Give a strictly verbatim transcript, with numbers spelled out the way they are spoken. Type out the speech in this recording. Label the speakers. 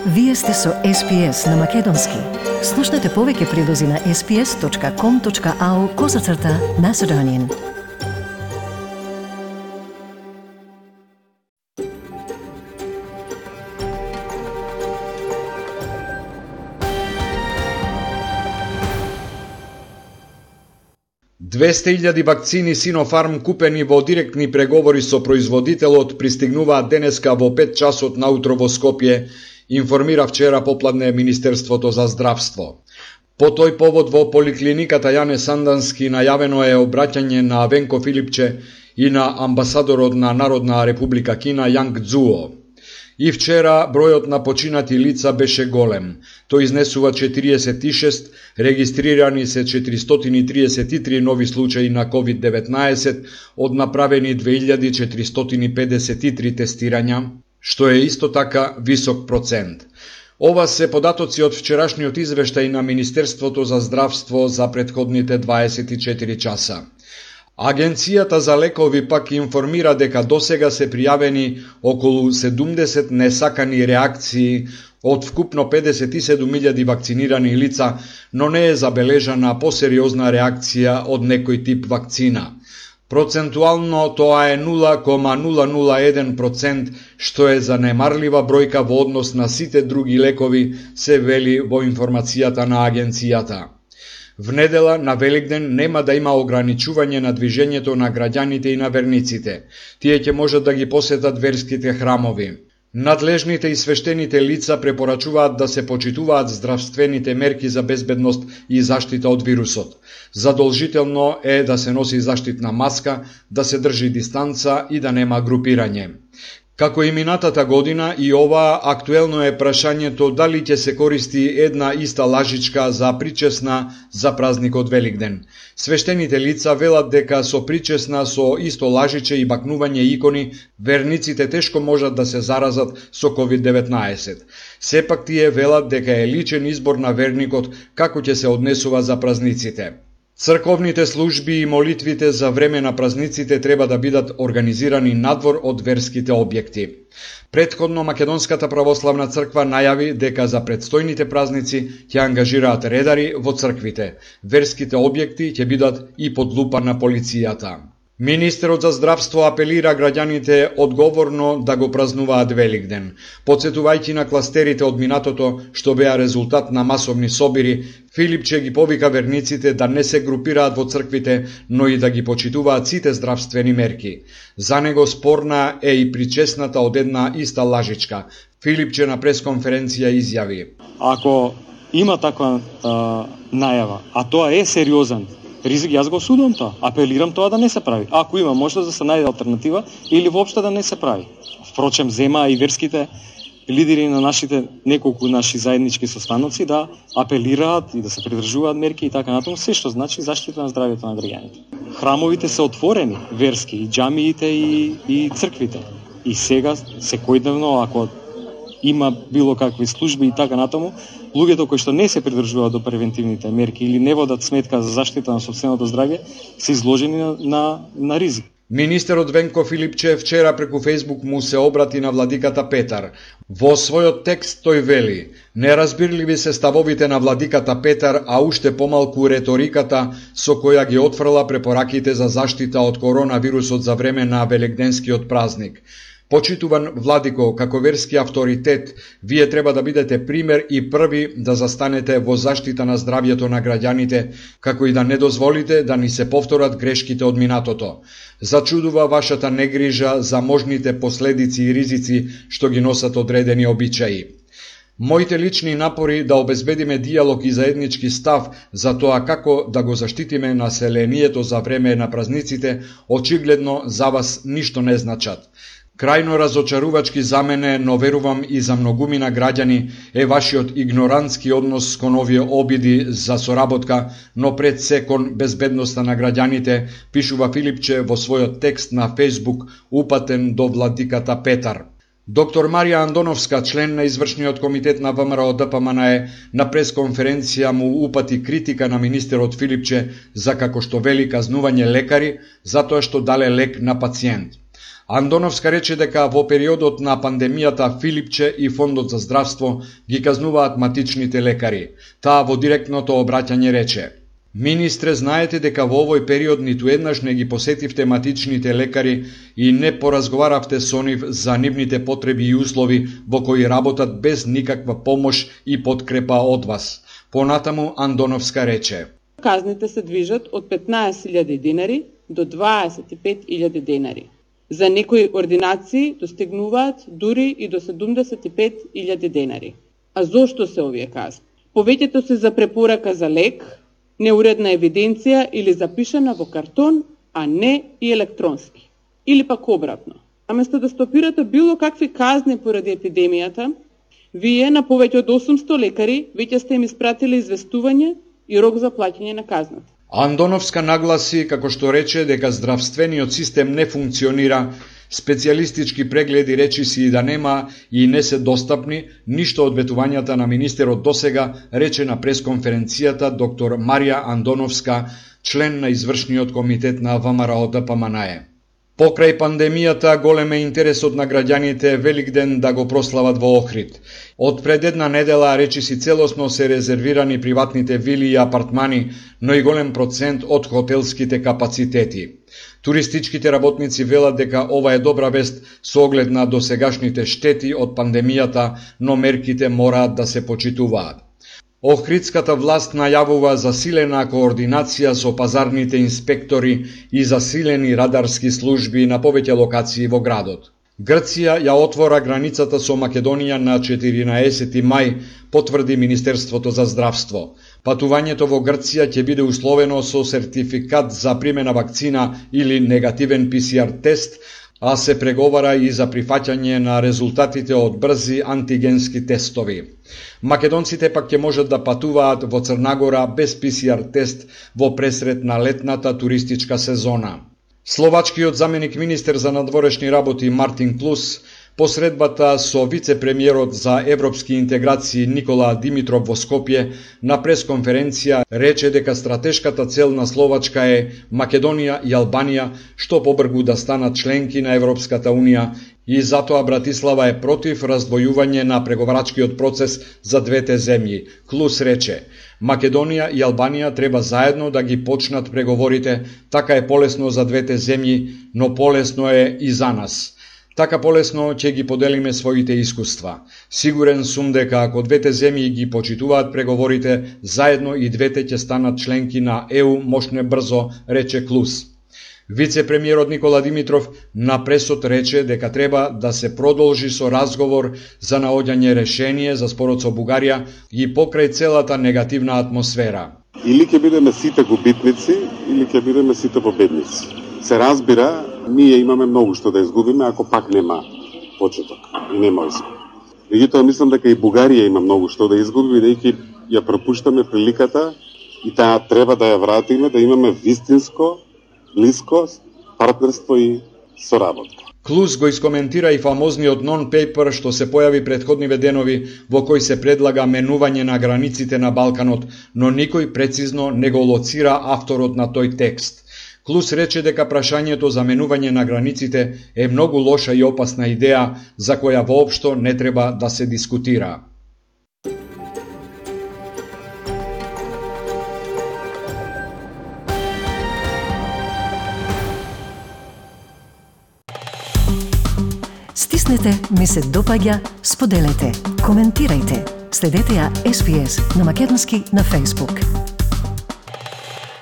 Speaker 1: Вие сте со Ес Пи Ес на Македонски. Слушнете повеќе прилози на ес пи ес точка ком точка ау козацрта Macedonian.
Speaker 2: двесте илјади вакцини Синофарм купени во директни преговори со производителот пристигнуваат денеска во пет часот наутро во Скопје, информира вчера попладне Министерството за здравство. По тој повод во поликлиниката Јане Сандански најавено е обраќање на Венко Филипче и на амбасадорот на Народна република Кина Јанг Цзуо. И вчера бројот на починати лица беше голем. Тој изнесува четириесет и шест, регистрирани се четиристотини и триесет и три нови случаи на ковид деветнаесет, од направени две илјади четиристотини и педесет и три тестирања, што е исто така висок процент. Ова се податоци од вчерашниот извештај на Министерството за здравство за претходните дваесет и четири часа. Агенцијата за лекови пак информира дека досега се пријавени околу седумдесет несакани реакции од вкупно педесет и седум илјади вакцинирани лица, но не е забележана посериозна реакција од некој тип вакцина. Процентуално тоа е нула кома нула нула еден процент, што е занемарлива бројка во однос на сите други лекови, се вели во информацијата на агенцијата. В недела на Великден нема да има ограничување на движењето на граѓаните и на верниците. Тие ќе можат да ги посетат верските храмови. Надлежните и свештените лица препорачуваат да се почитуваат здравствените мерки за безбедност и заштита од вирусот. Задолжително е да се носи заштитна маска, да се држи дистанца и да нема групирање. Како и минатата година, и ова актуелно е прашањето дали ќе се користи една иста лажичка за причесна за празникот Великден. Свештените лица велат дека со причесна со исто лажиче и бакнување икони, верниците тешко можат да се заразат со ковид деветнаесет. Сепак тие велат дека е личен избор на верникот како ќе се однесува за празниците. Црковните служби и молитвите за време на празниците треба да бидат организирани надвор од верските објекти. Претходно Македонската православна црква најави дека за предстојните празници ќе ангажираат редари во црквите. Верските објекти ќе бидат и под лупа на полицијата. Министерот за здравство апелира граѓаните одговорно да го празнуваат Великден. Подсетувајќи на кластерите од минатото што беа резултат на масовни собири, Филипче ги повика верниците да не се групираат во црквите, но и да ги почитуваат сите здравствени мерки. За него спорна е и причесната од една иста лажичка. Филипче на пресконференција изјави:
Speaker 3: Ако има таква а, најава, а тоа е сериозен ризик, јас го осудувам тоа. Апелирам тоа да не се прави. Ако има можност да се најде алтернатива или воопшто да не се прави. Впрочем, зема и верските лидери на нашите неколку наши заеднички состаноци да апелираат и да се придржуваат мерки и така натаму, се што значи заштита на здравјето на граѓаните. Храмовите се отворени, верски, и џамиите и, и црквите. И сега, секојдневно, ако има било какви служби и така натаму, луѓето кои што не се придржуваат до превентивните мерки или не водат сметка за заштита на сопственото здравје, се изложени на, на, на ризик.
Speaker 2: Министерот Венко Филипче вчера преку Фејсбук му се обрати на владиката Петар. Во својот текст тој вели: неразбирливи се ставовите на владиката Петар, а уште помалку реториката со која ги отфрла препораките за заштита од коронавирусот за време на великденскиот празник. Почитуван владико, како верски авторитет, вие треба да бидете пример и први да застанете во заштита на здравјето на граѓаните, како и да не дозволите да ни се повторат грешките од минатото. Зачудува вашата негрижа за можните последици и ризици што ги носат одредени обичаи. Моите лични напори да обезбедиме диалог и заеднички став за тоа како да го заштитиме населението за време на празниците, очигледно за вас ништо не значат. Крајно разочарувачки за мене, но верувам и за многумина граѓани, е вашиот игнорантски однос кон овие обиди за соработка, но пред се кон безбедноста на граѓаните, пишува Филипче во својот текст на Фејсбук, упатен до владиката Петар. Доктор Марија Андоновска, член на извршниот комитет на ВМРО Д П М Н Е, на пресконференција му упати критика на министерот Филипче за, како што вели, казнување лекари, затоа што дале лек на пациент. Андоновска рече дека во периодот на пандемијата Филипче и Фондот за здравство ги казнуваат матичните лекари. Таа во директното обраќање рече: Министре, знаете дека во овој период ниту еднаш не ги посетивте матичните лекари и не поразговаравте со нив за нивните потреби и услови во кои работат без никаква помош и подкрепа од вас. Понатаму Андоновска рече:
Speaker 4: Казните се движат од петнаесет илјади денари до дваесет и пет илјади денари. За некои ординации достигнуваат дури и до седумдесет и пет илјади денари. А зошто се овие казни? Повеќето се за препорака за лек, неуредна евиденција или запишана во картон, а не и електронски. Или пак обратно. Наместо да стопирате било какви казни поради епидемијата, вие на повеќе од осумсто лекари веќе сте им испратили известување и рок за плаќање на казната.
Speaker 2: Андоновска нагласи, како што рече, дека здравствениот систем не функционира, специјалистички прегледи речиси и да нема и не се достапни, ништо од ветувањата на министерот досега, рече на пресконференцијата доктор Марија Андоновска, член на извршниот комитет на ВМРО Д П М Н Е. Покрај пандемијата, голем е интересот на граѓаните Великден да го прослават во Охрид. Од пред една недела речиси целосно се резервирани приватните вили и апартмани, но и голем процент од хотелските капацитети. Туристичките работници велат дека ова е добра вест со оглед на досегашните штети од пандемијата, но мерките мораат да се почитуваат. Охридската власт најавува засилена координација со пазарните инспектори и засилени радарски служби на повеќе локации во градот. Грција ја отвора границата со Македонија на четиринаесети мај, потврди Министерството за здравство. Патувањето во Грција ќе биде условено со сертификат за примена вакцина или негативен П С Р тест, а се преговара и за прифаќање на резултатите од брзи антигенски тестови. Македонците пак ќе можат да патуваат во Црнагора без П С Р тест во пресрет на летната туристичка сезона. Словачкиот заменик министер за надворешни работи Мартин Клус посредбата со вице-премиерот за европски интеграции Никола Димитров во Скопје на пресконференција рече дека стратешката цел на Словачка е Македонија и Албанија што побргу да станат членки на Европската Унија и затоа Братислава е против раздвојување на преговарачкиот процес за двете земји. Клус рече: Македонија и Албанија треба заедно да ги почнат преговорите, така е полесно за двете земји, но полесно е и за нас. Така полесно ќе ги поделиме своите искуства. Сигурен сум дека ако двете земји ги почитуваат преговорите, заедно и двете ќе станат членки на Е У мошне брзо, рече Клус. Вице-премиерот Никола Димитров на пресот рече дека треба да се продолжи со разговор за наоѓање решение за спорот со Бугарија и покрај целата негативна атмосфера.
Speaker 5: Или ќе бидеме сите губитници, или ќе бидеме сите победници. Се разбира, ние имаме многу што да изгубиме ако пак нема почеток и нема успех. Меѓутоа мислам дека и Бугарија има многу што да изгуби, бидејќи ја пропуштаме приликата и таа треба да ја вратиме, да имаме вистинско, блиско партнерство и соработка.
Speaker 2: Клус го искоментира и фамозниот нон-пейпер што се појави претходниве денови во кој се предлага менување на границите на Балканот, но никој прецизно не го лоцира авторот на тој текст. Клус рече дека прашањето за менување на границите е многу лоша и опасна идеја за која воопшто не треба да се дискутира.
Speaker 1: Стиснете, ми се допаѓа, споделете, коментирајте. Следете ја С П С на Македонски на Facebook.